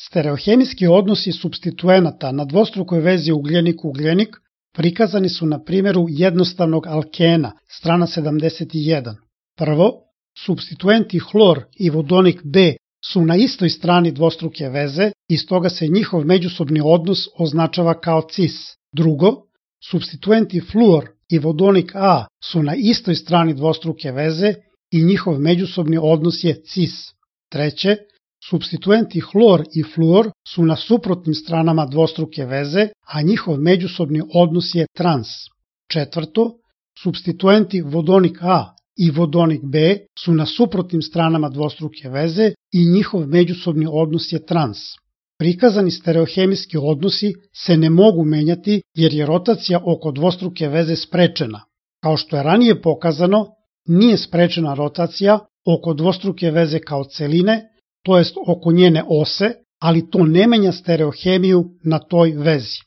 Stereohemijski odnosi supstituenata na dvostrukoj vezi ugljenik-ugljenik prikazani su na primjeru jednostavnog alkena, strana 71. Prvo, supstituenti hlor i vodonik B su na istoj strani dvostruke veze i stoga se njihov međusobni odnos označava kao cis. Drugo, supstituenti fluor i vodonik A su na istoj strani dvostruke veze i njihov međusobni odnos je cis. Treće, supstituenti hlor i fluor su na suprotnim stranama dvostruke veze, a njihov međusobni odnos je trans. Četvrto, supstituenti vodonik A i vodonik B su na suprotnim stranama dvostruke veze i njihov međusobni odnos je trans. Prikazani stereohemijski odnosi se ne mogu menjati jer je rotacija oko dvostruke veze sprečena. Kao što je ranije pokazano, nije sprečena rotacija oko dvostruke veze kao celine, to jest oko njene ose, ali to ne menja stereohemiju na toj vezi.